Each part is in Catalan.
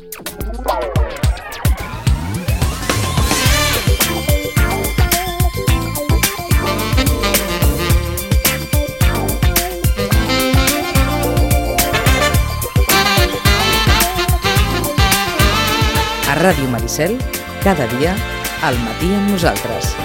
A Ràdio Maricel, cada dia, al matí amb nosaltres.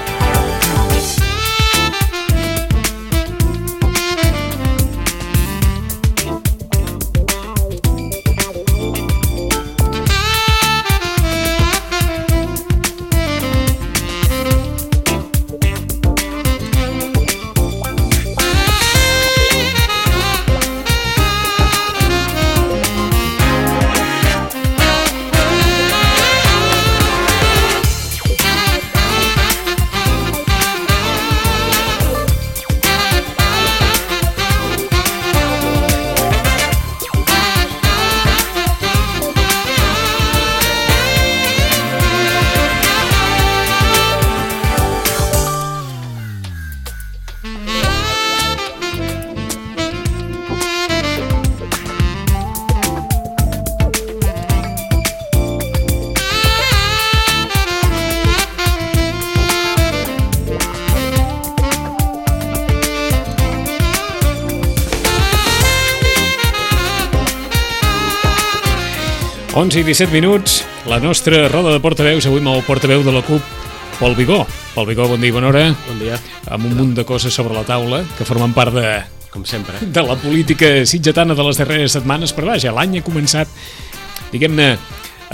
I 17 minuts, la nostra roda de portaveus, avui amb el portaveu de la CUP, Pol Vigó. Pol Vigó, bon dia i bona hora. Bon dia. Amb un munt de coses sobre la taula que formen part de... Com sempre. De la política sitgetana de les darreres setmanes, però vaja, l'any ha començat, diguem-ne,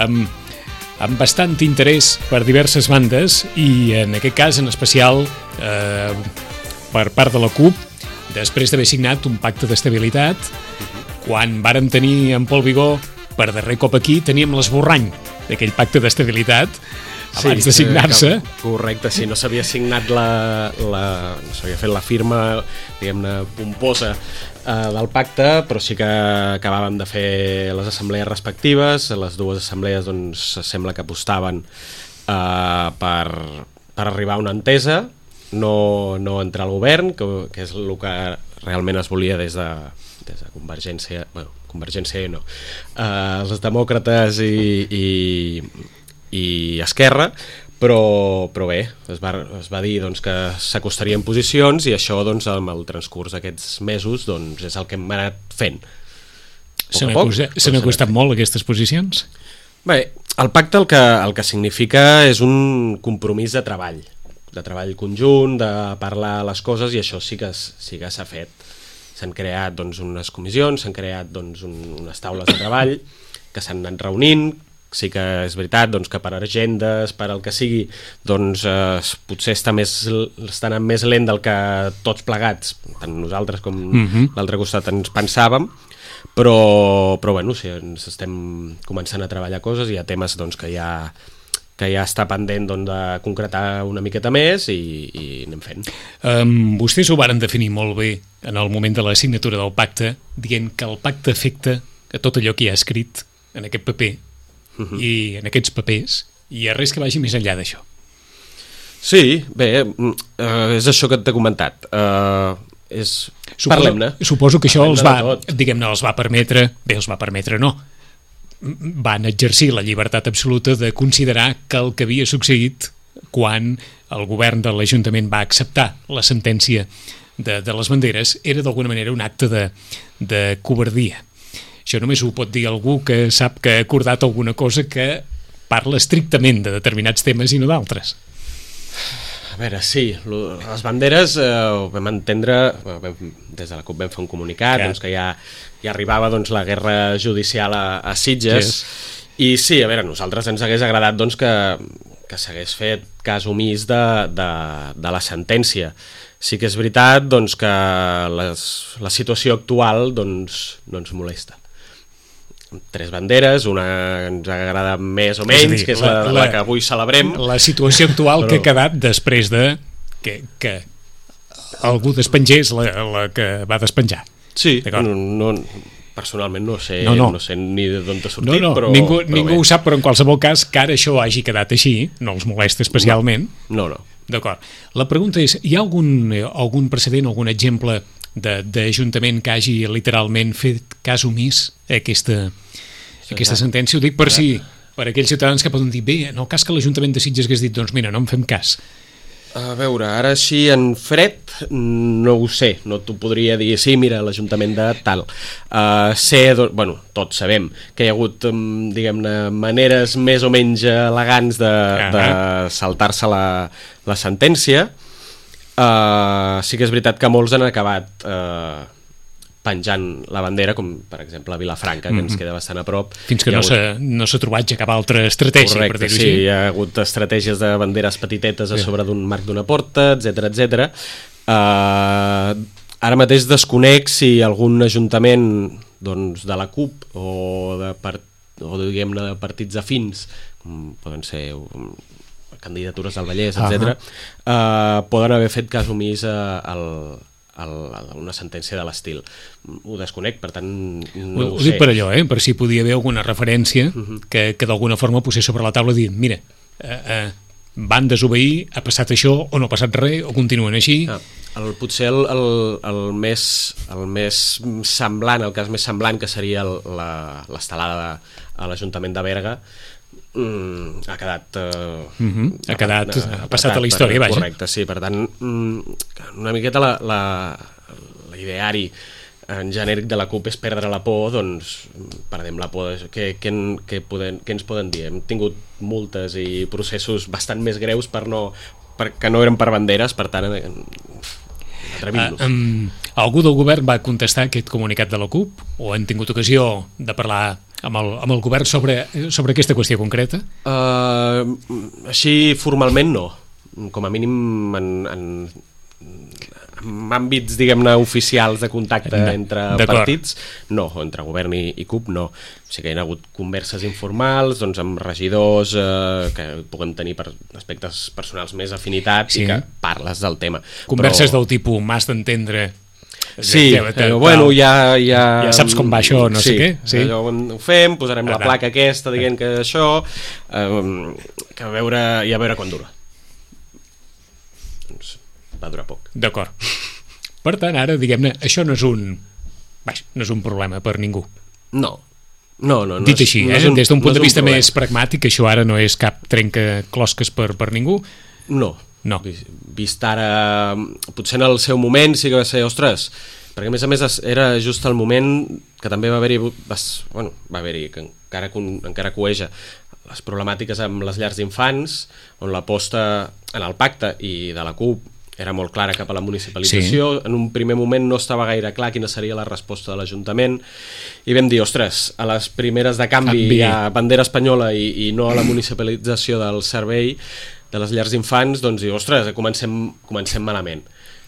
amb bastant interès per diverses bandes i en aquest cas en especial per part de la CUP, després d'haver signat un pacte d'estabilitat, quan vàrem tenir en Pol Vigó per darrer cop aquí, teníem l'esborrany d'aquell pacte d'estabilitat abans de signar-se. Correcte, sí, no s'havia signat no s'havia fet la firma, diguem-ne, pomposa del pacte, però sí que acabàvem de fer les assemblees respectives. Les dues assemblees, doncs, sembla que apostaven per arribar a una entesa, no entrar al govern, que és el que realment es volia des de Convergència, Convergència no, els demòcrates i Esquerra, però bé, es va dir doncs, que s'acostarien posicions i això doncs, amb el transcurs d'aquests mesos doncs, és el que hem anat fent. Se n'ha costat molt aquestes posicions? Bé, el pacte el que significa és un compromís de treball conjunt, de parlar les coses, i això sí que s'ha fet. S'han creat doncs, unes comissions, s'han creat doncs, unes taules de treball que s'han anat reunint. Sí que és veritat doncs, que per agendes, per el que sigui, doncs, potser està anant més lent del que tots plegats, tant nosaltres com l'altre costat, ens pensàvem, però bueno, sí, ens estem començant a treballar coses, hi ha temes doncs, que ja està pendent doncs, de concretar una miqueta més i anem fent. Vostès ho varen definir molt bé en el moment de la signatura del pacte, dient que el pacte afecta a tot allò que hi ha escrit en aquest paper i en aquests papers, i a res que vagi més enllà d'això. Sí, bé, és això que t'he comentat. Parlem-ne. Suposo que això els va permetre, no, van exercir la llibertat absoluta de considerar que el que havia succeït quan el govern de l'Ajuntament va acceptar la sentència de les banderes era d'alguna manera un acte de covardia. Això només ho pot dir algú que sap que ha acordat alguna cosa que parla estrictament de determinats temes i no d'altres. A veure, sí, les banderes ho vam entendre, des de la CUP vam fer un comunicat, doncs, que ja arribava doncs, la guerra judicial a Sitges, i sí, a veure, a nosaltres ens hagués agradat doncs, que s'hagués fet cas omís de la sentència. Sí que és veritat doncs, que la situació actual doncs, no ens molesta. 3 banderes, una ens agrada més o menys, que és la que avui celebrem. La situació actual que ha quedat després de que algú despengés la que va despenjar. Sí, personalment no sé ni d'on t'ha sortit, però... Ningú ho sap, però en qualsevol cas, que ara això hagi quedat així, no els molesta especialment. No. D'acord. La pregunta és, hi ha algun precedent, algun exemple d'Ajuntament que hagi literalment fet cas omís a aquesta sentència, ho dic per si, per aquells ciutadans que poden dir, bé, en el cas que l'Ajuntament de Sitges hagués dit, doncs mira, no en fem cas. A veure, ara així en fred no ho sé, no t'ho podria dir, sí, mira, l'Ajuntament de tal. Bueno, tots sabem que hi ha hagut, diguem-ne, maneres més o menys elegants de saltar-se la sentència. Sí que és veritat que molts han acabat penjant la bandera, com per exemple a Vilafranca, que ens queda bastant a prop. Fins que no s'ha trobat ja cap altra estratègia. Correcte, per dir-ho així. Sí, hi ha hagut estratègies de banderes petitetes a sobre d'un marc d'una porta, etc. Ara mateix desconec si algun ajuntament doncs, de la CUP o diguem-ne de partits afins, com poden ser candidatures al Vallès, etc., poden haver fet cas omís una sentència de l'estil. Ho desconec, per tant no ho sé. Ho dic per allò, per si podia haver alguna referència que d'alguna forma posés sobre la taula dient, mira, van desobeir, ha passat això o no ha passat res, o continuen així. Potser el més semblant, el cas més semblant, que seria l'estelada a l'Ajuntament de Berga, ha quedat ha passat a la història, vaja. Correcte, sí, per tant una miqueta l'ideari en genèric de la CUP és perdre la por, doncs perdem la por. Què ens poden dir? Hem tingut multes i processos bastant més greus que no eren per banderes, per tant atrevim-nos. Algú del govern va contestar aquest comunicat de la CUP o han tingut ocasió de parlar amb el govern sobre aquesta qüestió concreta? Així formalment no, com a mínim en àmbits, diguem-ne, oficials de contacte entre partits, no, o entre govern i CUP, no. O sigui que hi ha hagut converses informals, doncs, amb regidors que puguem tenir per aspectes personals més afinitats i que parles del tema. Converses del tipus m'has d'entendre. Sí, bueno, ja saps com va això, no sé què. Sí, allò ho fem, posarem la placa aquesta dient que això, que a veure quan dura. Doncs va durar poc. D'acord. Per tant, ara, diguem-ne, això no és un problema per ningú. No. Dit així, des d'un punt de vista més pragmàtic, això ara no és cap trencaclosques per ningú? No. Vist ara, potser en el seu moment sí que va ser, ostres, perquè a més era just el moment que també va haver-hi, que encara cueja, les problemàtiques amb les llars d'infants, on l'aposta en el pacte i de la CUP era molt clara cap a la municipalització. En un primer moment no estava gaire clar quina seria la resposta de l'Ajuntament i vam dir, ostres, a les primeres de canvi a bandera espanyola i no a la municipalització del servei de les llars d'infants, doncs, ostres, comencem malament.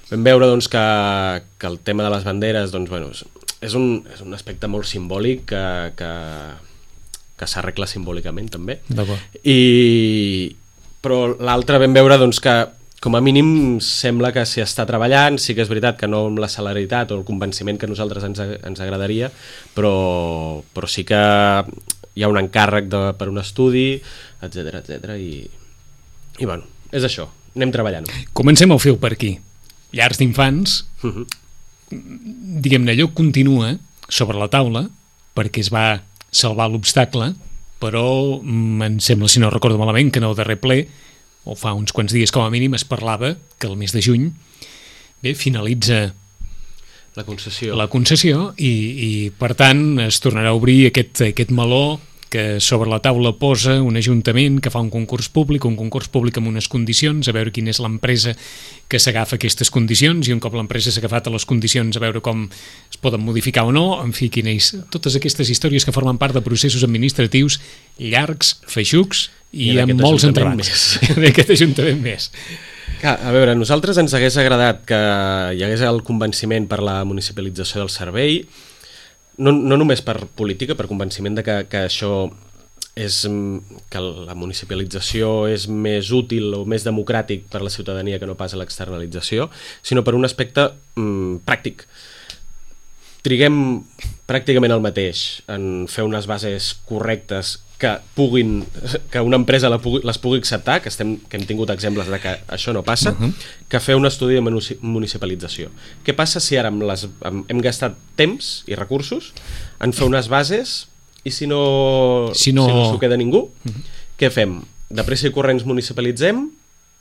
Vam veure doncs, que el tema de les banderes doncs, bueno, és un aspecte molt simbòlic que s'arregla simbòlicament també. Però l'altre vam veure doncs, que com a mínim sembla que s'hi està treballant. Sí que és veritat que no amb la celeritat o el convenciment que a nosaltres ens agradaria, però sí que hi ha un encàrrec per un estudi, etc. I bueno, és això, anem treballant. Comencem el fil per aquí. Llars d'infants, diguem-ne, allò continua sobre la taula perquè es va salvar l'obstacle, però em sembla, si no recordo malament, que en el darrer ple, o fa uns quants dies com a mínim, es parlava que el mes de juny finalitza la concessió i per tant es tornarà a obrir aquest meló que sobre la taula posa un ajuntament que fa un concurs públic amb unes condicions, a veure quina és l'empresa que s'agafa aquestes condicions, i un cop l'empresa s'ha agafat a les condicions a veure com es poden modificar o no, en fi, totes aquestes històries que formen part de processos administratius llargs, feixucs i amb molts entrebats d'aquest ajuntament més. A veure, a nosaltres ens hagués agradat que hi hagués el convenciment per la municipalització del servei, no només per política, per convenciment de que això que la municipalització és més útil o més democràtic per a la ciutadania que no pas a l'externalització, sinó per un aspecte pràctic. Triguem pràcticament el mateix en fer unes bases correctes que una empresa les pugui acceptar, que hem tingut exemples de que això no passa, que fer un estudi de municipalització. Què passa si ara hem gastat temps i recursos en fer unes bases i si no s'ho queda ningú, què fem? De pressa i corrents municipalitzem,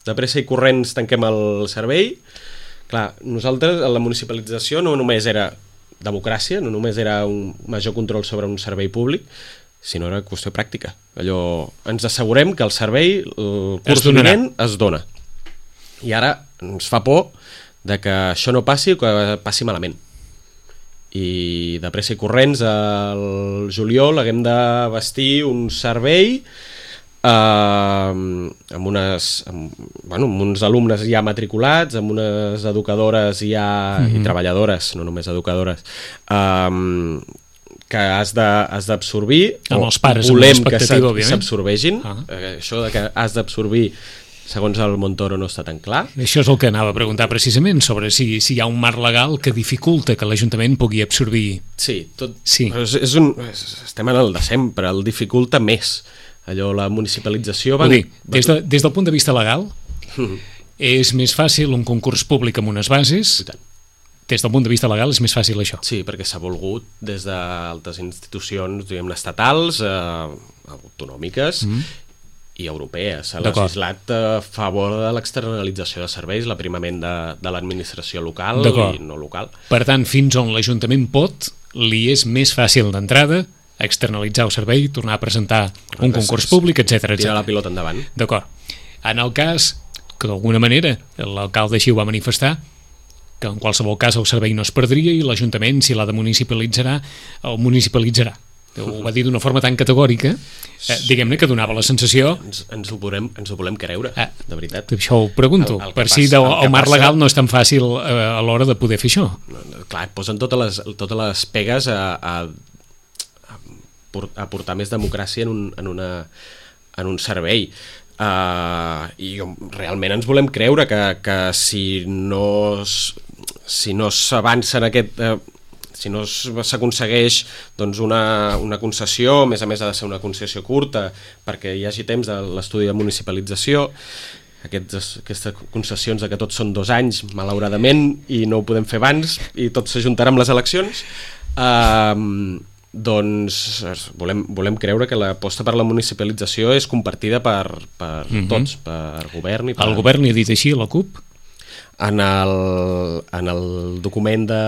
de pressa i corrents tanquem el servei. Clar, nosaltres, la municipalització no només era democràcia, no només era un major control sobre un servei públic, sinó era qüestió pràctica. Allò, ens assegurem que el servei, el curs vinent, es dona. I ara ens fa por de que això no passi o que passi malament. I de pressa i corrents al juliol haguem de vestir un servei amb uns alumnes ja matriculats, amb unes educadores ja i treballadores, no només educadores, que has d'absorbir, amb els pares, volem que s'absorbeixin. Això de que has d'absorbir, segons el Montoro, no està tan clar. Això és el que anava a preguntar precisament, sobre si hi ha un marc legal que dificulta que l'Ajuntament pugui absorbir. Sí, estem en el de sempre, el dificulta més. Allò, la municipalització... Des del punt de vista legal, és més fàcil un concurs públic amb unes bases. Des del punt de vista legal és més fàcil això. Sí, perquè s'ha volgut des d'altres institucions, diguem-ne, estatals, autonòmiques i europees. S'ha legislat a favor de l'externalització de serveis, l'aprimament de l'administració local i no local. Per tant, fins on l'Ajuntament pot, li és més fàcil d'entrada externalitzar el servei, tornar a presentar un concurs públic, etc. Tirar la pilota endavant. D'acord. En el cas que d'alguna manera l'alcalde així ho va manifestar, que en qualsevol cas el servei no es perdria i l'Ajuntament, si l'ha de municipalitzar, el municipalitzarà. Ho va dir d'una forma tan categòrica, diguem-ne que donava la sensació... Ens ho volem creure, de veritat. Això ho pregunto, per si el marc legal no és tan fàcil a l'hora de poder fer això. Clar, posen totes les pegues a portar més democràcia en un servei. I realment ens volem creure que si no s'avança en aquest... si no s'aconsegueix doncs una concessió, a més ha de ser una concessió curta perquè hi hagi temps de l'estudi de municipalització, aquestes concessions de que tots són 2 anys, malauradament, i no ho podem fer abans i tot s'ajuntarà amb les eleccions, doncs volem creure que l'aposta per la municipalització és compartida per tots, per govern i per... El govern li ha dit així a la CUP? En el document de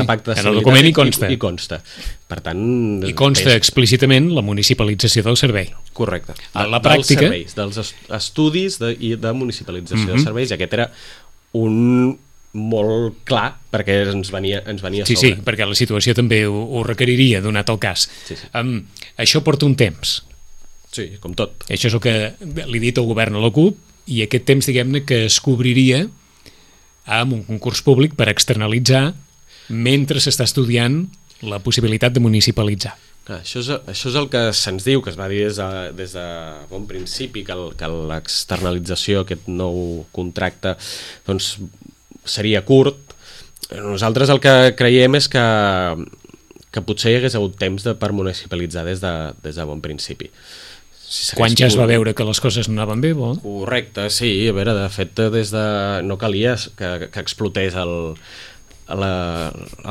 pacte de en el document hi consta. Per tant, i consta explícitament la municipalització del servei. Correcte. A la pràctica... Dels estudis de municipalització de serveis, i aquest era un molt clar, perquè ens venia a sobre. Sí, perquè la situació també ho requeriria, donat el cas. Això porta un temps. Sí, com tot. Això és el que li he dit al govern a la CUP, i aquest temps, diguem-ne, que es cobriria amb un concurs públic per externalitzar mentre s'està estudiant la possibilitat de municipalitzar. Això és el que se'ns diu, que es va dir des de bon principi, que l'externalització, aquest nou contracte, doncs seria curt. Nosaltres el que creiem és que potser hi hagués hagut temps per municipalitzar des de bon principi. Quan ja es va veure que les coses no anaven bé, vol? Correcte, sí. A veure, de fet, no calia que explotés el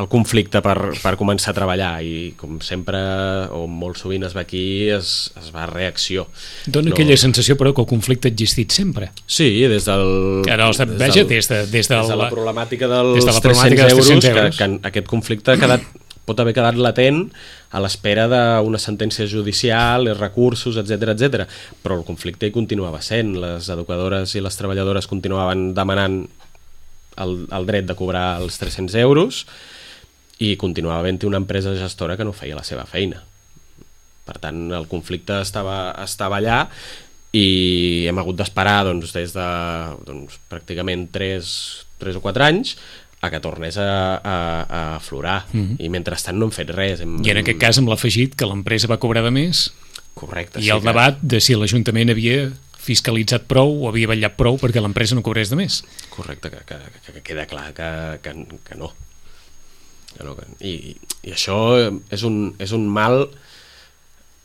conflicte per començar a treballar, i com sempre, o molt sovint es va aquí, es va a reacció. Dona aquella sensació, però, que el conflicte ha existit sempre. Sí, des de la problemàtica dels 300 euros, que aquest conflicte pot haver quedat latent a l'espera d'una sentència judicial, recursos, etc. Però el conflicte hi continuava sent. Les educadores i les treballadores continuaven demanant el dret de cobrar els 300 euros i continuava havent-hi una empresa gestora que no feia la seva feina. Per tant, el conflicte estava allà i hem hagut d'esperar des de pràcticament 3 o 4 anys a que tornés a aflorar. I mentrestant no hem fet res. I en aquest cas amb l'afegit que l'empresa va cobrar de més. Correcte. I el debat de si l'Ajuntament havia fiscalitzat prou o havia vetllat prou perquè l'empresa no cobrés de més. Correcte, que queda clar que no. I això és un mal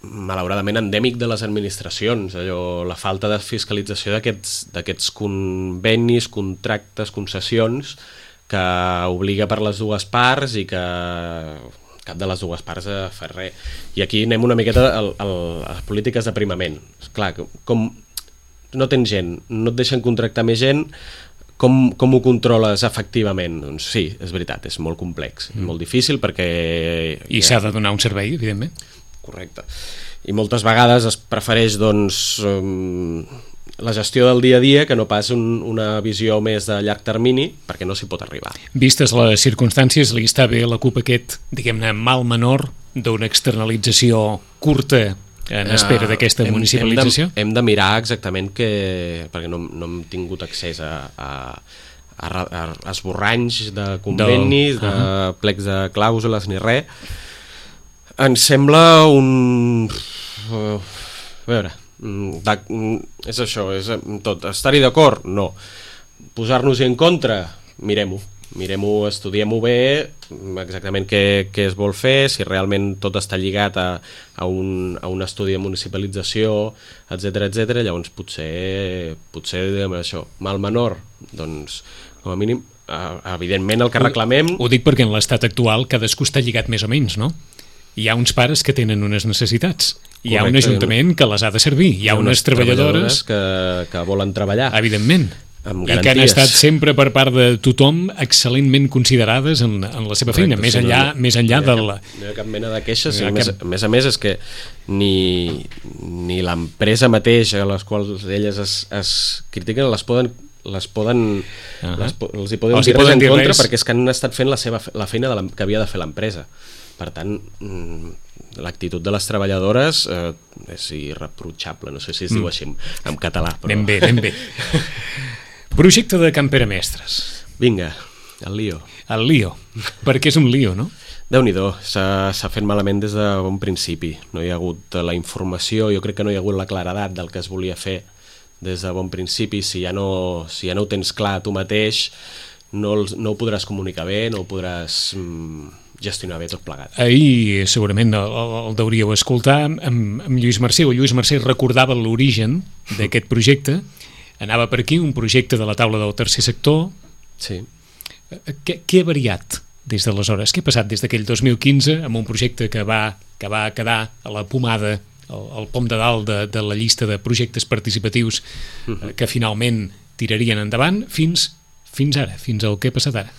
malauradament endèmic de les administracions, la falta de fiscalització d'aquests convenis, contractes, concessions, que obliga per les dues parts i que cap de les dues parts ha fet res. I aquí anem una miqueta a les polítiques d'aprimament. Clar, com no tens gent, no et deixen contractar més gent, com ho controles efectivament? Doncs sí, és veritat, és molt complex, és molt difícil perquè... I s'ha de donar un servei, evidentment. Correcte. I moltes vegades es prefereix, doncs, la gestió del dia a dia que no pas una visió més de llarg termini, perquè no s'hi pot arribar. Vistes les circumstàncies, li està bé a la CUP aquest, diguem-ne, mal menor d'una externalització curta en espera d'aquesta municipalització? Hem de mirar exactament perquè no hem tingut accés a esborranys de convenis, de plecs de clàusules ni res. Ens sembla a veure, és això, és tot. Estar-hi d'acord? No. Posar-nos-hi en contra? Mirem-ho, estudiem-ho bé, exactament què es vol fer, si realment tot està lligat a un estudi de municipalització, etc. Llavors potser diguem això, mal menor, doncs com a mínim, evidentment el que reclamem... Ho dic perquè en l'estat actual cadascú està lligat més o menys, no? Hi ha uns pares que tenen unes necessitats, hi ha un ajuntament que les ha de servir, hi ha unes treballadores que volen treballar. Evidentment. I que han estat sempre per part de tothom excel·lentment considerades en la seva feina, més enllà de la... No hi ha cap mena de queixes, a més a més és que ni l'empresa mateixa a les quals elles es critiquen els hi poden dir res en contra perquè és que han estat fent la feina que havia de fer l'empresa. Per tant, l'actitud de les treballadores és irreprotxable, no sé si es diu així en català. Anem bé. Projecte de Can Pere Mestres. Vinga, el lío. El lío, perquè és un lío, no? Déu-n'hi-do, s'ha fet malament des de bon principi. No hi ha hagut la informació, jo crec que no hi ha hagut la claredat del que es volia fer des de bon principi. Si ja no ho tens clar tu mateix, no ho podràs comunicar bé, no ho podràs gestionar bé tot plegat. Ahir segurament el deuríeu escoltar amb Lluís Mercè. Lluís Mercè recordava l'origen d'aquest projecte. Anava per aquí un projecte de la taula del tercer sector. Sí. Què ha variat des d'aleshores? Què ha passat des d'aquell 2015 amb un projecte que va quedar a la pomada, al pom de dalt de la llista de projectes participatius que finalment tirarien endavant fins ara, fins al que ha passat ara?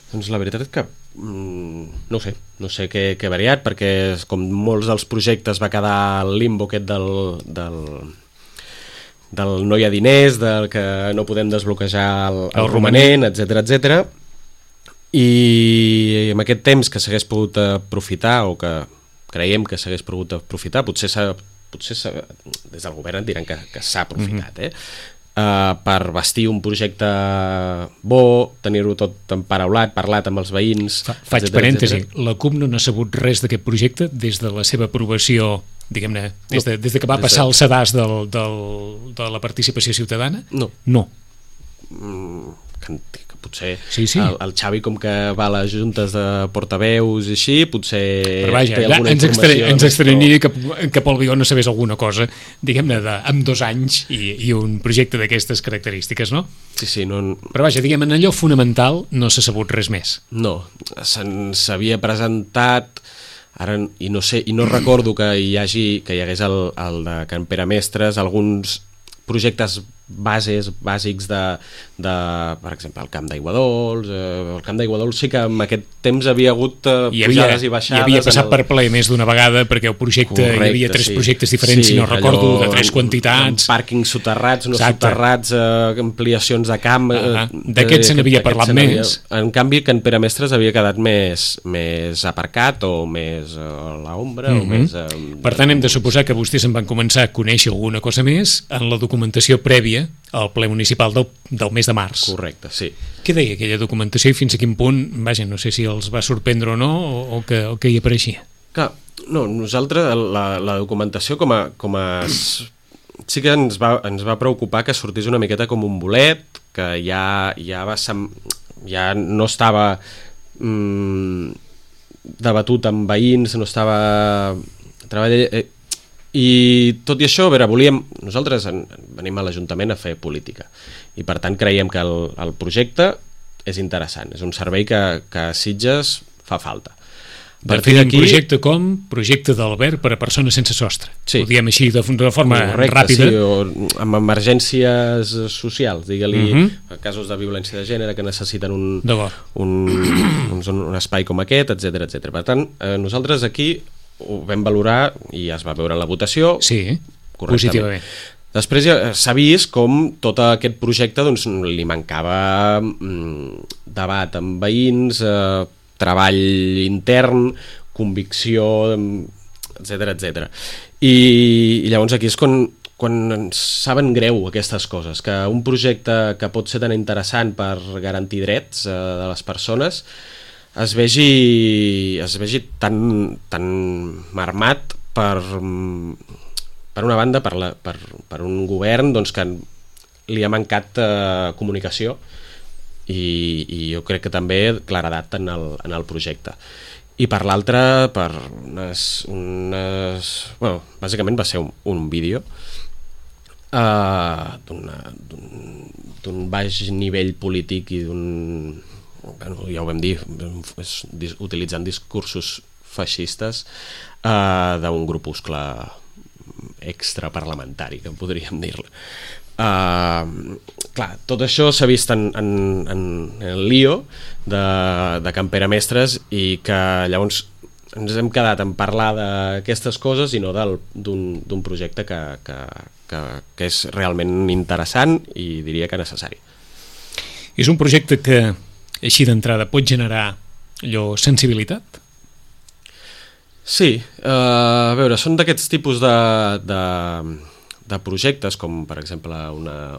Doncs la veritat és que no sé què ha variat, perquè com molts dels projectes va quedar al limbo aquest del no hi ha diners, del que no podem desbloquejar el romanent, etc. I en aquest temps que s'hagués pogut aprofitar, o que creiem que s'hagués pogut aprofitar, potser des del govern et diran que s'ha aprofitat, per vestir un projecte bo, tenir-ho tot emparaulat, parlat amb els veïns... Faig parèntesi, la CUP no n'ha sabut res d'aquest projecte des de la seva aprovació, diguem-ne, des de que va passar el sedàs de la participació ciutadana? No. Que potser sí. El Xavi, com que va a les juntes de portaveus i així, potser té alguna informació. Ens estranyaria que Pol Vigó no sabés alguna cosa, diguem-ne, amb 2 anys i un projecte d'aquestes característiques, no? Sí, no... Però vaja, diguem, en allò fonamental no s'ha sabut res més. No, s'havia presentat... Ara, i no recordo que hi hagués el de Can Pere Mestres, alguns projectes bàsics de per exemple, el Camp d'Aigua Dols. El Camp d'Aigua Dols sí que en aquest temps havia hagut pujades i baixades. I havia passat per ple més d'una vegada, perquè el projecte, correcte, hi havia 3 projectes diferents, si no recordo, de 3 quantitats. Pàrquings soterrats, no soterrats, ampliacions de camp... D'aquests se n'havia parlat més. En canvi, Can Pere Mestres havia quedat més aparcat, o més a l'ombra, o més... Per tant, hem de suposar que vostès en van començar a conèixer alguna cosa més en la documentació prèvia al ple municipal del mes de març. Correcte, sí. Què deia aquella documentació i fins a quin punt, vaja, no sé si els va sorprendre o no, o que hi apareixia? Clar, no, nosaltres la documentació sí que ens va preocupar que sortís una miqueta com un bolet, que ja no estava debatut amb veïns, no estava treballant... I tot i això, a veure, nosaltres venim a l'Ajuntament a fer política i per tant creiem que el projecte és interessant, és un servei que a Sitges fa falta. Definim un projecte com projecte d'alberg per a persones sense sostre. Sí. Ho diem així de forma ràpida. Sí, o amb emergències socials, digue-li, casos de violència de gènere que necessiten un espai com aquest, etc etc. Per tant, nosaltres aquí ho vam valorar i es va veure en la votació. Sí, positivament. Després ja s'ha vist com tot aquest projecte doncs, li mancava debat amb veïns, treball intern, convicció, etc etc. I llavors aquí és quan ens saben greu aquestes coses, que un projecte que pot ser tan interessant per garantir drets de les persones es vegi tan marmat per una banda, per un govern doncs, que li ha mancat comunicació i jo crec que també claredat en el projecte. I per l'altra, per bàsicament va ser un vídeo d'un baix nivell polític i ja ho vam dir, utilitzant discursos feixistes d'un grupuscle extraparlamentari, que podríem dir-ne. Clar, tot això s'ha vist en el lío de Can Pere Mestres i que llavors ens hem quedat en parlar d'aquestes coses i no d'un projecte que és realment interessant i diria que necessari. És un projecte que així d'entrada pot generar sensibilitat? Sí, a veure, són d'aquests tipus de projectes com per exemple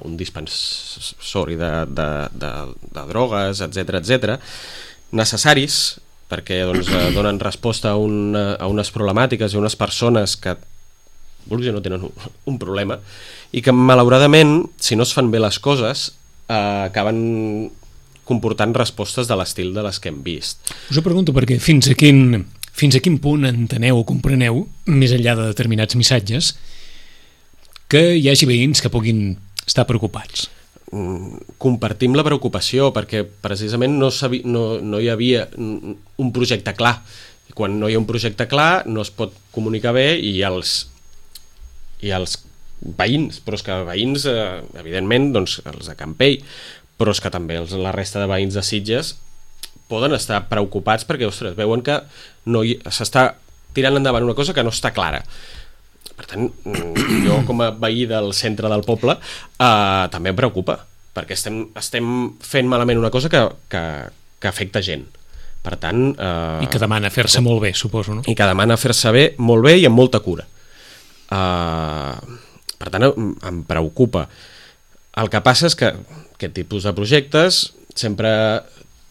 un dispensori de drogues, etc necessaris perquè doncs, donen resposta a unes problemàtiques i a unes persones que vulguis o no tenen un problema i que malauradament si no es fan bé les coses acaben comportant respostes de l'estil de les que hem vist. Us ho pregunto perquè fins a quin punt enteneu o compreneu, més enllà de determinats missatges, que hi hagi veïns que puguin estar preocupats? Compartim la preocupació perquè precisament no hi havia un projecte clar. Quan no hi ha un projecte clar no es pot comunicar bé i els veïns, però és que veïns evidentment doncs, els de Campell, però és que també la resta de veïns de Sitges poden estar preocupats perquè ostres, veuen que s'està tirant endavant una cosa que no està clara. Per tant, jo com a veí del centre del poble també em preocupa, perquè estem fent malament una cosa que afecta gent. Per tant... I que demana fer-se molt bé, suposo, no? I que demana fer-se bé, molt bé i amb molta cura. Per tant, em preocupa. El que passa és que aquest tipus de projectes sempre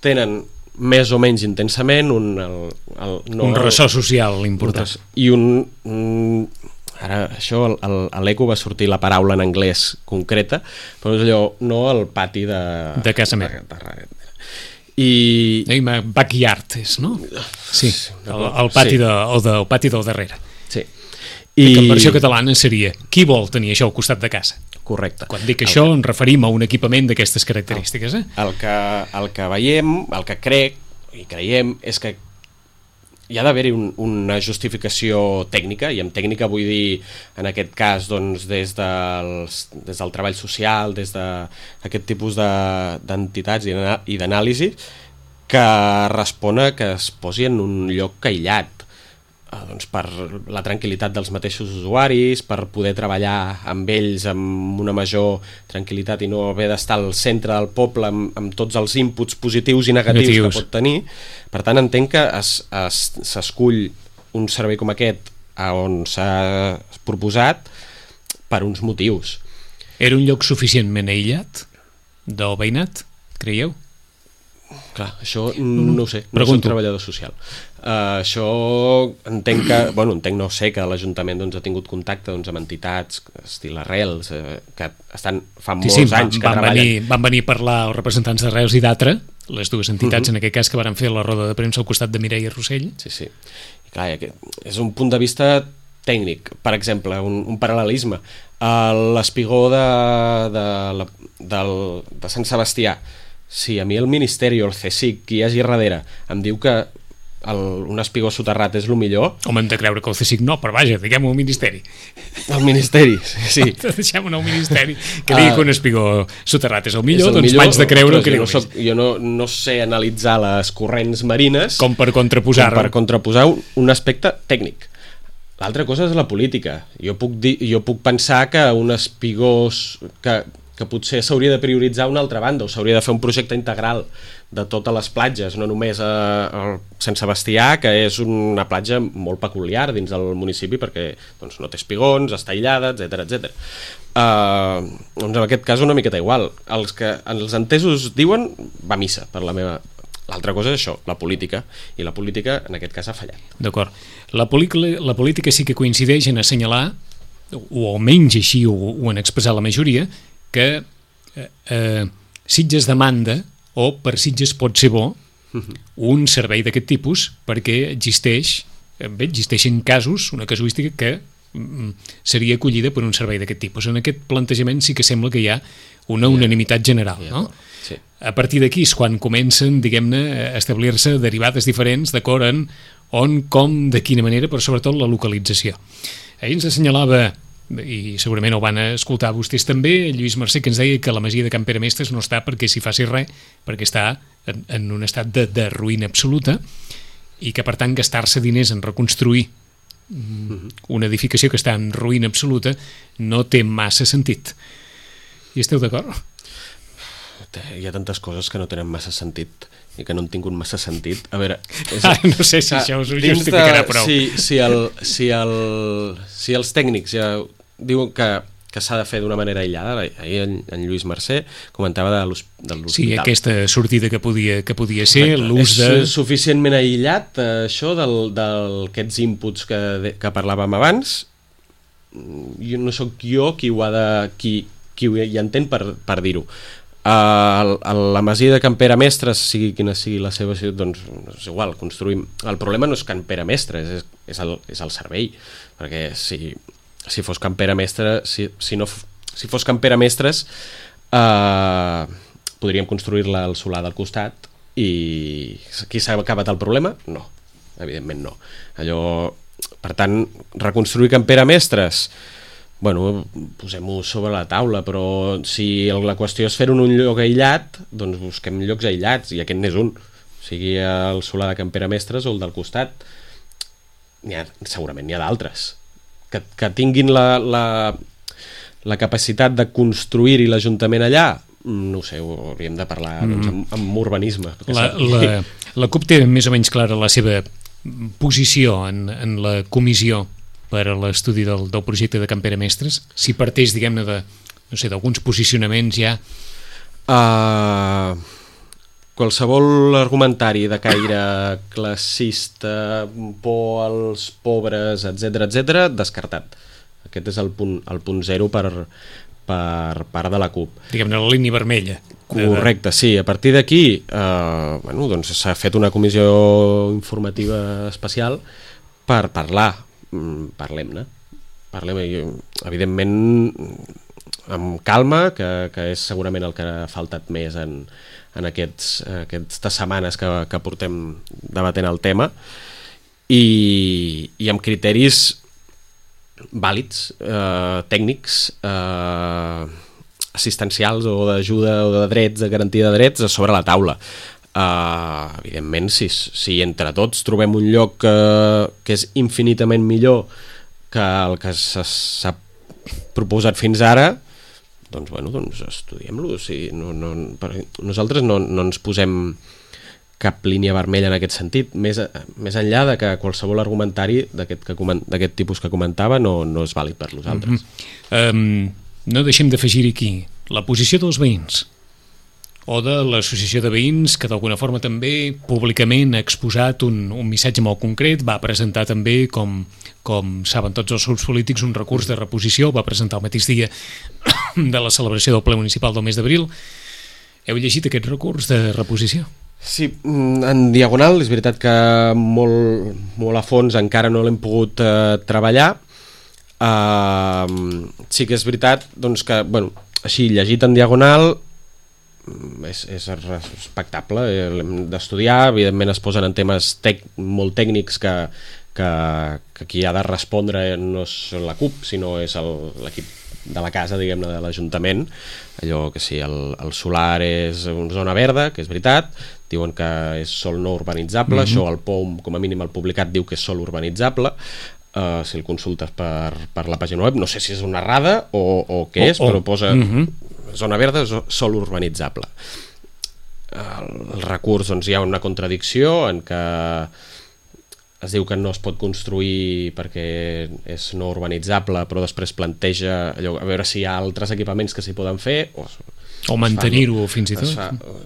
tenen més o menys intensament un ressò social important. I ara això a l'Eco va sortir la paraula en anglès concreta, però és allò, no al pati de casa meva. I backyard és, no? Sí, el pati del darrere. Sí. I que en versió catalana seria qui vol tenir això al costat de casa? Correcte. Quan dic això ens referim a un equipament d'aquestes característiques. El que veiem, el que crec i creiem és que hi ha d'haver-hi una justificació tècnica, i amb tècnica vull dir en aquest cas doncs, des del treball social, des d'aquest tipus d'entitats i d'anàlisi que respon a que es posi en un lloc aïllat doncs per la tranquil·litat dels mateixos usuaris, per poder treballar amb ells amb una major tranquil·litat i no haver d'estar al centre del poble amb tots els inputs positius i negatius que pot tenir. Per tant, entenc que s'escull un servei com aquest on s'ha proposat per uns motius. Era un lloc suficientment aïllat del veïnat, creieu? Clar, això no ho sé, no soc treballador social. Això entenc no sé que l'Ajuntament ha tingut contacte amb entitats estil Arrels que estan fa molts anys que treballen. Van venir a parlar els representants d'Arrels i d'Atra, les dues entitats en aquest cas que van fer la roda de premsa al costat de Mireia Rossell. Sí. I clar, és un punt de vista tècnic. Per exemple, un paral·lelisme. L'espigó de Sant Sebastià, si a mi el Ministeri o el CSIC, qui hi hagi darrere, em diu que un espigó soterrat és el millor. Home, hem de creure que el CSIC no, però vaja, diguem-ho al Ministeri. El Ministeri, sí. Deixem-ho al Ministeri, que digui que un espigó soterrat és el millor, doncs m'haig de creure que jo no sé analitzar les corrents marines com per contraposar un aspecte tècnic. L'altra cosa és la política. Jo puc pensar que un espigó que potser s'hauria de prioritzar una altra banda, o s'hauria de fer un projecte integral de totes les platges, no només a Sant Sebastià, que és una platja molt peculiar dins del municipi perquè doncs, no té espigons, està aïllada, etc. Doncs en aquest cas una miqueta igual. Els entesos diuen va a missa per la meva... L'altra cosa és això, la política, i la política en aquest cas ha fallat. D'acord. La política sí que coincideix en assenyalar, o almenys així ho han expressat la majoria, que Sitges demanda, o per Sitges pot ser bo, un servei d'aquest tipus, perquè existeixen casos, una casuística que seria acollida per un servei d'aquest tipus. En aquest plantejament sí que sembla que hi ha una unanimitat general, no? Sí. A partir d'aquí és quan comencen, diguem-ne, a establir-se derivades diferents d'acord en on, com, de quina manera, però sobretot la localització. Ahir ens assenyalava, i segurament ho van escoltar vostès també, Lluís Mercè, que ens deia que la masia de Can Pere Mestres no està perquè s'hi faci res, perquè està en un estat de ruïna absoluta, i que per tant gastar-se diners en reconstruir una edificació que està en ruïna absoluta no té massa sentit. Hi esteu d'acord? Hi ha tantes coses que no tenen massa sentit i que no han tingut massa sentit. A veure... no sé si això us ho justificarà prou. Si els tècnics ja diuen que s'ha de fer d'una manera aïllada, ahir en Lluís Mercè comentava de l'hospital. Sí, aquesta sortida que podia ser, l'ús de... És suficientment aïllat, això d'aquests inputs que parlàvem abans. No sóc jo qui hi entén per dir-ho. La masia de Can Pere Mestres, sigui quina sigui la seva ciutat, doncs és igual, construïm. El problema no és Can Pere Mestres, és el servei, perquè si fos Can Pere Mestres, si fos Can Pere Mestres, podríem construir-la al solar del costat i aquí s'ha acabat el problema? No, evidentment no. Per tant, reconstruir Can Pere Mestres, bueno, posem-ho sobre la taula, però si la qüestió és fer-ho en un lloc aïllat, doncs busquem llocs aïllats, i aquest n'és un, sigui el solar de Can Pere Mestres o el del costat. Segurament n'hi ha d'altres que tinguin la capacitat de construir-hi l'Ajuntament allà. No ho sé, ho hauríem de parlar amb urbanisme. La CUP té més o menys clara la seva posició en la comissió per a l'estudi del projecte de Can Pere Mestres, si parteix, diguem-ne, d'alguns posicionaments ja... Qualsevol argumentari de caire classista, por als pobres, etc., descartat. Aquest és el punt zero per part de la CUP. Diguem-ne, la línia vermella. Correcte, sí. A partir d'aquí doncs s'ha fet una comissió informativa especial per parlar. Parlem-ne, evidentment amb calma, que és segurament el que ha faltat més en aquestes setmanes que portem debatent el tema, i amb criteris vàlids, tècnics, assistencials o d'ajuda o de drets, de garantia de drets sobre la taula. Evidentment, si entre tots trobem un lloc que és infinitament millor que el que s'ha proposat fins ara, doncs estudiem-lo. Nosaltres no ens posem cap línia vermella en aquest sentit, més enllà de que qualsevol argumentari d'aquest tipus que comentava no és vàlid per nosaltres. No deixem d'afegir aquí la posició dels veïns o de l'associació de veïns, que d'alguna forma també públicament ha exposat un missatge molt concret, va presentar també, com saben tots els grups polítics, un recurs de reposició, va presentar el mateix dia de la celebració del ple municipal del mes d'abril. Heu llegit aquest recurs de reposició? Sí, en diagonal, és veritat que molt a fons encara no l'hem pogut treballar. Sí que és veritat doncs que, així llegit en diagonal, és respectable, l'hem d'estudiar, evidentment es posen en temes molt tècnics que qui ha de respondre no és la CUP, sinó és l'equip de la casa, diguem-ne, de l'Ajuntament. Allò que sí, el solar és una zona verda, que és veritat, diuen que és sòl no urbanitzable, això el POUM, com a mínim el publicat, diu que és sòl urbanitzable, si el consultes per la pàgina web, no sé si és una errada o què és, però posa zona verda, sòl urbanitzable. El recurs, doncs, hi ha una contradicció en què es diu que no es pot construir perquè és no urbanitzable, però després planteja allò, a veure si hi ha altres equipaments que s'hi poden fer o mantenir-ho fins i tot.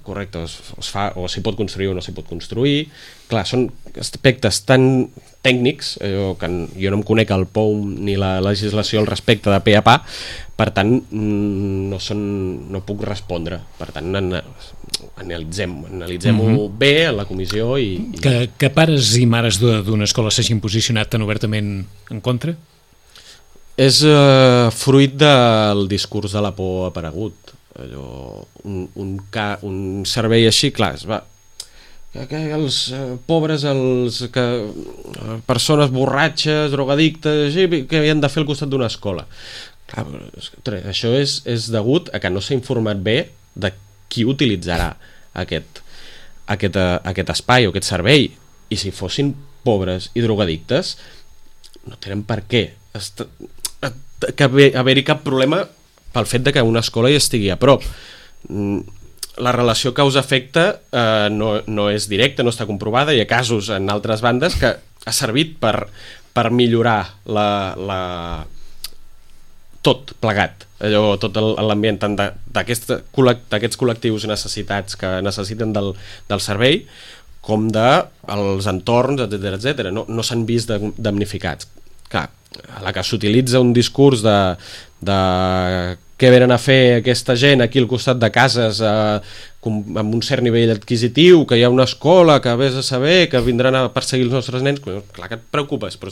Correcte, es fa, o s'hi pot construir o no s'hi pot construir. Clar, són aspectes tan tècnics, que jo no em conec el POUM ni la legislació al respecte de pe a pa, per tant no puc respondre. Per tant, analitzem-ho bé a la comissió i... Que pares i mares d'una escola s'hagin posicionat tan obertament en contra? És fruit del discurs de la por aparegut. Allò, un servei així, clar, que els pobres, persones borratxes, drogadictes, que han de fer al costat d'una escola. Clar, això és degut a que no s'ha informat bé de qui utilitzarà aquest espai o aquest servei, i si fossin pobres i drogadictes no tenen per què haver-hi cap problema pel fet de que una escola hi estigui a prop. La relació causa-efecte no és directa, no està comprovada. Hi ha casos en altres bandes que ha servit per millorar tot plegat, tot l'ambient tant d'aquests col·lectius necessitats que necessiten del servei com dels entorns, etc. No s'han vist damnificats. Clar, a la que s'utilitza un discurs de què venen a fer aquesta gent aquí al costat de cases amb un cert nivell adquisitiu, que hi ha una escola, que vés a saber, que vindran a perseguir els nostres nens, clar que et preocupes, però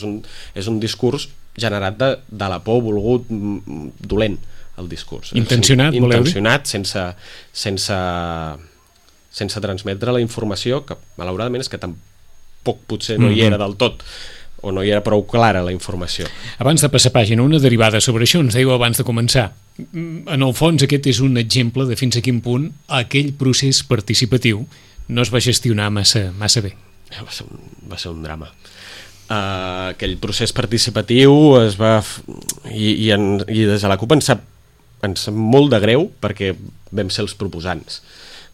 és un discurs generat de la por, volgut, dolent, el discurs. Intencionat, voleu dir? Intencionat, sense transmetre la informació, que malauradament és que tampoc potser no hi era del tot, o no hi era prou clara la informació. Abans de passar pàgina, una derivada sobre això, ens dèieu abans de començar. En el fons, aquest és un exemple de fins a quin punt aquell procés participatiu no es va gestionar massa bé. Va ser un drama. Aquell procés participatiu es va... I des de la CUP ens sap molt de greu perquè vam ser els proposants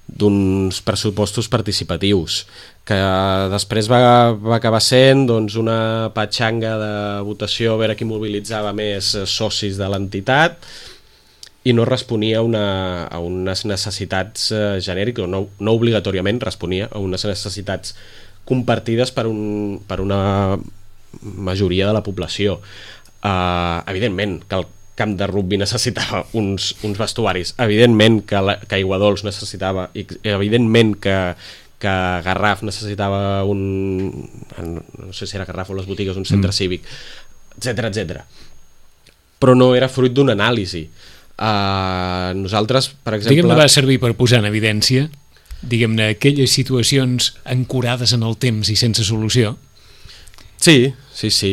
d'uns pressupostos participatius que després va acabar sent una patxanga de votació a veure qui mobilitzava més socis de l'entitat i no responia a unes necessitats genèriques, o no obligatòriament responia a unes necessitats compartides per una majoria de la població. Evidentment que el camp de rugby necessitava uns vestuaris, evidentment que Aiguadols necessitava, evidentment que Garraf necessitava no sé si era Garraf o les botigues, un centre cívic, etc. Però no era fruit d'una anàlisi. Nosaltres, per exemple... Diguem-ne, va servir per posar en evidència, diguem-ne, aquelles situacions ancorades en el temps i sense solució. Sí.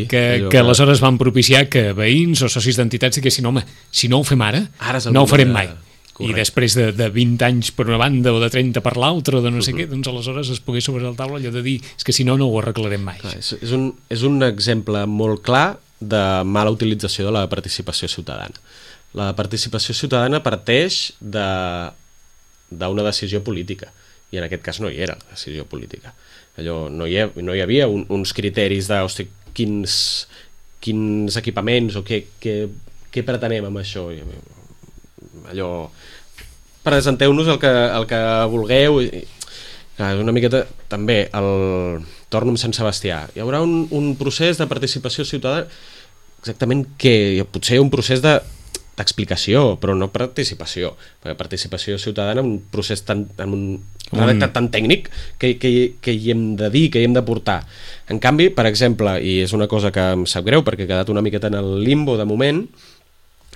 Que aleshores van propiciar que veïns o socis d'entitats diguessin, home, si no ho fem ara no ho farem mai. Correcte. I després de 20 anys per una banda o de 30 per l'altra o de no sé què, doncs aleshores es pogués sobre la taula allò de dir és que si no ho arreglarem mai. Clar, és un exemple molt clar de mala utilització de la participació ciutadana. La participació ciutadana parteix d'una decisió política, i en aquest cas no hi era la decisió política. Allò, no hi havia uns criteris de quins equipaments o què pretenem amb això. Allò, presenteu-nos el que vulgueu. És una miqueta també torno amb Sant Sebastià. Hi haurà un procés de participació ciutadana, exactament què? Potser un procés d'explicació, però no participació, perquè participació ciutadana, un procés amb un redactat tan tècnic que hi hem de dir, que hi hem de portar. En canvi, per exemple, i és una cosa que em sap greu perquè he quedat una miqueta en el limbo de moment,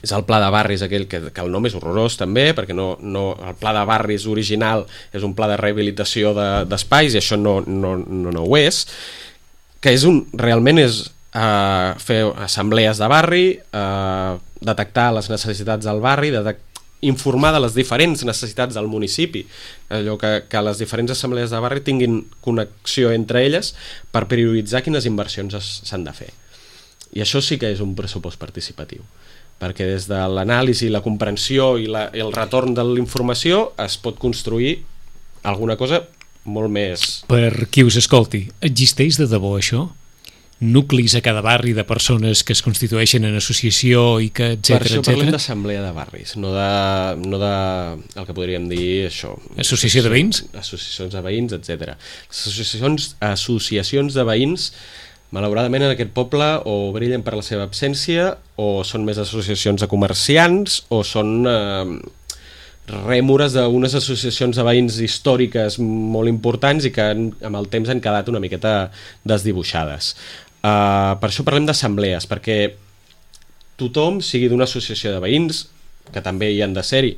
és el pla de barris aquell que el nom és horrorós també, perquè no, el pla de barris original és un pla de rehabilitació d'espais i això no ho és, que és realment és fer assemblees de barri, detectar les necessitats del barri, informar de les diferents necessitats del municipi, allò que les diferents assemblees de barri tinguin connexió entre elles per prioritzar quines inversions s'han de fer. I això sí que és un pressupost participatiu, perquè des de l'anàlisi, la comprensió i el retorn de la informació es pot construir alguna cosa molt més... Per qui us escolti, existeix de debò això? Nuclis a cada barri de persones que es constitueixen en associació i que, etcètera, per això parlem d'assemblea de barris, no de el que podríem dir això. Associació de veïns? Associacions de veïns, etcètera. Associacions de veïns, malauradament en aquest poble o brillen per la seva absència o són més associacions de comerciants o són rèmores d'unes associacions de veïns històriques molt importants i que amb el temps han quedat una miqueta desdibuixades. Per això parlem d'assemblees, perquè tothom, sigui d'una associació de veïns, que també hi han de ser-hi,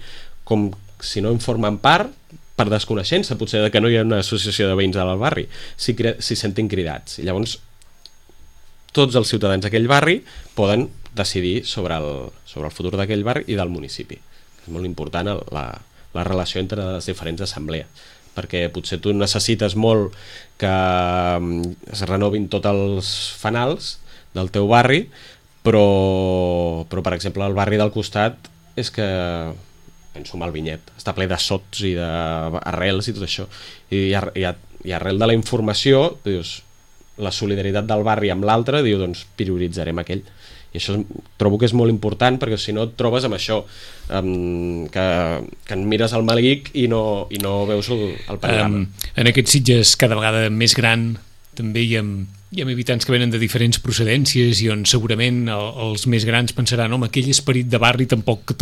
com si no en formen part, per desconeixença potser de que no hi ha una associació de veïns al barri, si sentin cridats. I llavors tots els ciutadans d'aquell barri poden decidir sobre el futur d'aquell barri i del municipi. És molt important la relació entre les diferents assemblees, perquè potser tu necessites molt que es renovin tots els fanals del teu barri, però per exemple el barri del costat és que, penso en el Vinyet, està ple de sots i d'arrels i tot això, i arrel de la informació dius, la solidaritat del barri amb l'altre, diu, doncs prioritzarem aquell. I això trobo que és molt important, perquè si no et trobes amb això, que en mires el malic i no veus el panorama. En aquests Sitges cada vegada més gran també hi ha habitants que venen de diferents procedències i on segurament els més grans pensaran home, aquell esperit de barri tampoc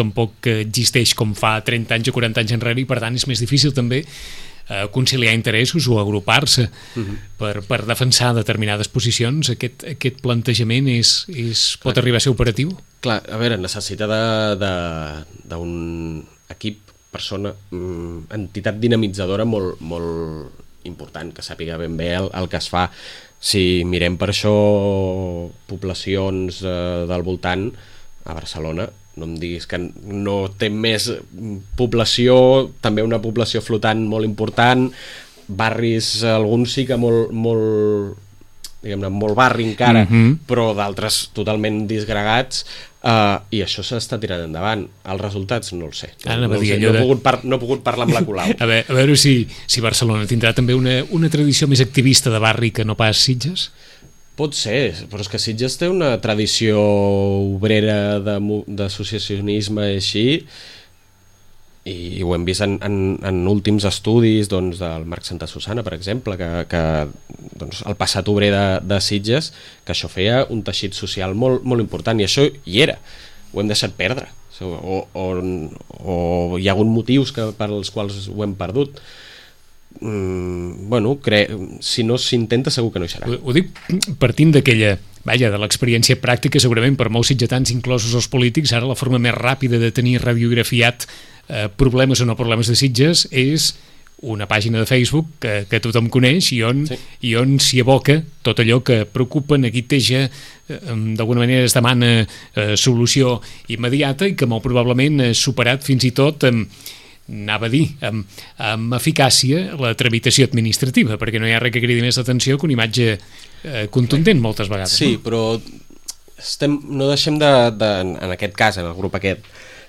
existeix com fa 30 anys o 40 anys enrere i per tant és més difícil també conciliar interessos o agrupar-se per defensar determinades posicions. Aquest plantejament pot arribar a ser operatiu? Clar, a veure, necessita d'un equip, persona, entitat dinamitzadora molt, molt important, que sàpiga ben bé el que es fa. Si mirem per això poblacions del voltant, a Barcelona, no em diguis que no té més població, també una població flotant molt important, barris, alguns sí que molt diguem-ne, molt barri encara, però d'altres totalment disgregats, i això s'està tirant endavant. Els resultats no els sé. No he pogut parlar amb la Colau. A veure si Barcelona tindrà també una tradició més activista de barri que no pas Sitges? Pot ser, però és que Sitges té una tradició obrera d'associacionisme així, i ho hem vist en últims estudis del Marc Santa Susana, per exemple, que el passat obrer de Sitges, que això feia un teixit social molt, molt important, i això hi era, ho hem deixat perdre, o hi ha hagut motius per als quals ho hem perdut. Si no s'intenta segur que no hi serà. Ho dic partint de l'experiència pràctica, segurament per molts sitgetans, inclosos els polítics, ara la forma més ràpida de tenir radiografiat problemes o no problemes de Sitges és una pàgina de Facebook que tothom coneix i on s'hi aboca tot allò que preocupa, neguiteja, d'alguna manera es demana solució immediata i que molt probablement ha superat fins i tot anava a dir, amb eficàcia la tramitació administrativa, perquè no hi ha res que cridi més l'atenció que una imatge contundent moltes vegades. Sí, però no deixem en aquest cas, en el grup aquest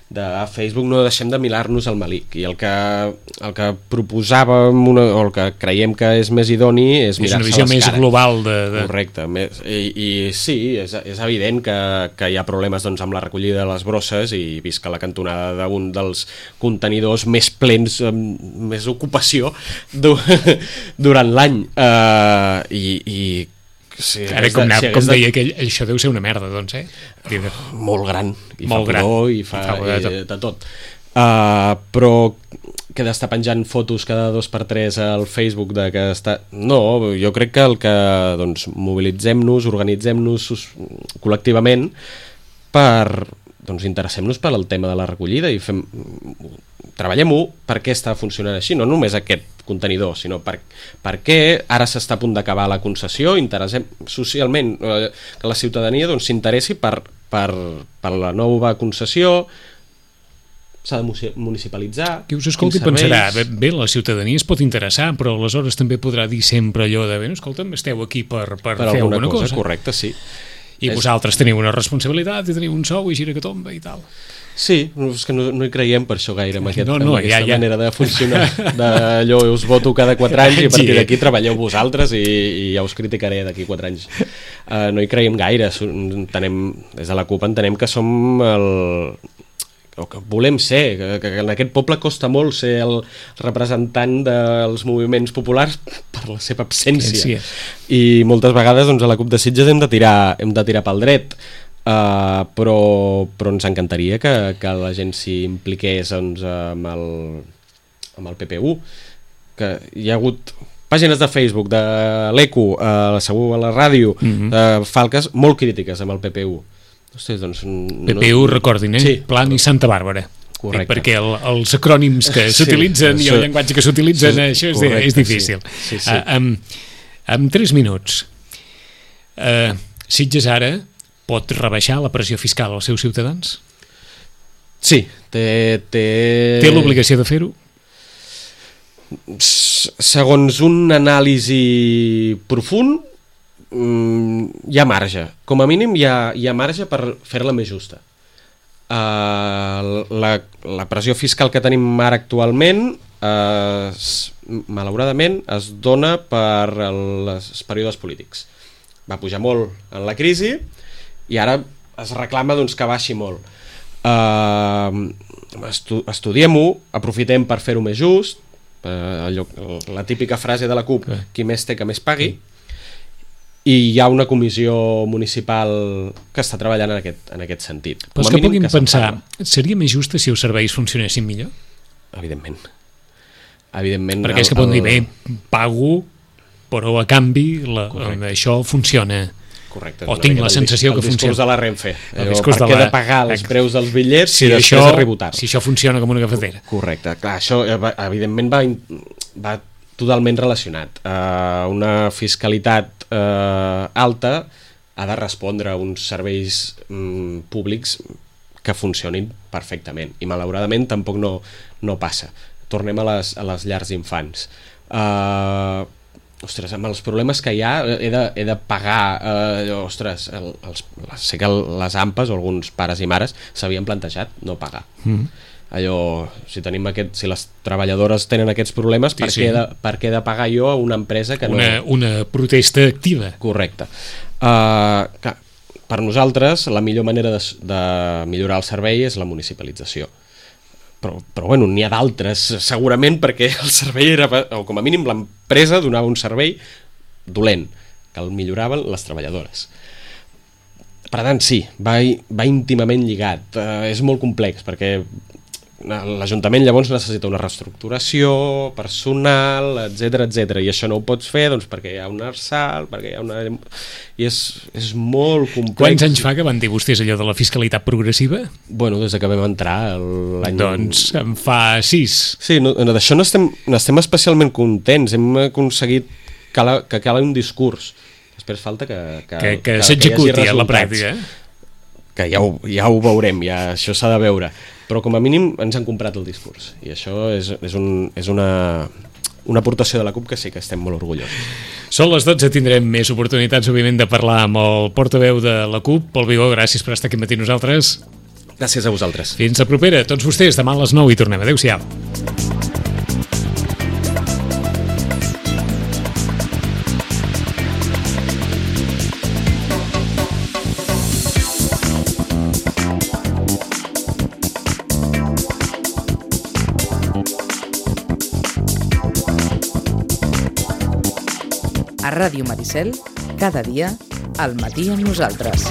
de Facebook, no deixem de mirar-nos el malic, i el que proposàvem o el que creiem que és més idoni és mirar-se les cares. És una visió més global Correcte, i sí, és evident que hi ha problemes amb la recollida de les brosses, i vist que la cantonada d'un dels contenidors més plens, més ocupació durant l'any, sí, ara com deia aquell, això deu ser una merda, doncs, molt gran, i molt fa pudor, i fa de tot, però que d'estar penjant fotos cada 2x3 al Facebook de que està... No, jo crec que el que mobilitzem-nos, organitzem-nos col·lectivament per doncs interessem-nos per al tema de la recollida i treballem-ho per què està funcionant així, no només aquest contenidor, sinó per què ara s'està a punt d'acabar la concessió, interessem socialment que la ciutadania doncs, s'interessi per la nova concessió, s'ha de municipalitzar. Qui us escolti pensarà, bé, la ciutadania es pot interessar, però aleshores també podrà dir sempre allò de, bé, escolta'm, esteu aquí per fer alguna cosa. Correcte, sí. I vosaltres teniu una responsabilitat i teniu un sou i gira que tomba i tal. Sí, és que no hi creiem per això gaire en aquesta manera de funcionar, d'allò us voto cada 4 anys i a partir d'aquí treballeu vosaltres i ja us criticaré d'aquí 4 anys. No hi creiem gaire, des de la CUP entenem que som o que volem ser, que en aquest poble costa molt ser el representant dels moviments populars per la seva absència. I moltes vegades doncs, a la CUP de Sitges hem de tirar pel dret, però ens encantaria que la gent s'hi impliqués doncs, amb el PPU, que hi ha hagut pàgines de Facebook, de l'ECO, segur a la ràdio, de falques molt crítiques amb el PPU. Hosti, doncs, PPU, recordin, sí, Plan i Santa Bàrbara. Correcte. Perquè els acrònims que s'utilitzen i el llenguatge que s'utilitzen, això és difícil. Sí. En 3 minuts, Sitges ara pot rebaixar la pressió fiscal als seus ciutadans? Sí. Té l'obligació de fer-ho? Segons un anàlisi profund, hi ha marge. Com a mínim hi ha marge per fer-la més justa. La pressió fiscal que tenim ara actualment malauradament es dona per els períodes polítics. Va pujar molt en la crisi i ara es reclama doncs, que baixi molt. Estudiem-ho, aprofitem per fer-ho més just, la típica frase de la CUP, qui més té que més pagui, i hi ha una comissió municipal que està treballant en aquest sentit. Però és que puguin pensar, seria més justa si els serveis funcionessin millor? Evidentment. Perquè és que poden dir, bé, pago, però a canvi això funciona. Correcte. O tinc la sensació que funciona. El discurs de la Renfe. Per què he de pagar els preus dels bitllets si després arribo tard? Si això funciona com una cafetera. Correcte. Clar, això evidentment va totalment relacionat. Una fiscalitat alta ha de respondre a uns serveis públics que funcionin perfectament i malauradament tampoc no passa. Tornem a les llars d'infants. Ostres, amb els problemes que hi ha he de pagar sé que les AMPAs o alguns pares i mares s'havien plantejat no pagar. Allò, si les treballadores tenen aquests problemes, per què he de pagar jo a una empresa que no... Una protesta activa. Correcte. Per nosaltres, la millor manera de millorar el servei és la municipalització. Però bueno, n'hi ha d'altres, segurament, perquè el servei era, o com a mínim l'empresa donava un servei dolent, que el milloraven les treballadores. Per tant, sí, va íntimament lligat. És molt complex, perquè l'Ajuntament llavors necessita una reestructuració personal, etc, i això no ho pots fer doncs, perquè hi ha un arsal, perquè hi ha una... i és molt complex. Quants anys fa que van dir vostès allò de la fiscalitat progressiva? Bueno, des que vam entrar l'any... Doncs en fa 6. Sí, d'això n'estem especialment contents, hem aconseguit que cali un discurs. Després falta que s'executi a la pràctica. Que ja ho veurem, això s'ha de veure. Però com a mínim ens han comprat el discurs i això és una aportació de la CUP que sí que estem molt orgullosos. Són les 12, tindrem més oportunitats òbviament de parlar amb el portaveu de la CUP, Pol Vigó, gràcies per estar aquí matí nosaltres. Gràcies a vosaltres. Fins la propera, tots vostès, demà a les 9 i tornem. Adéu-siau. A Ràdio Maricel, cada dia, al matí amb nosaltres.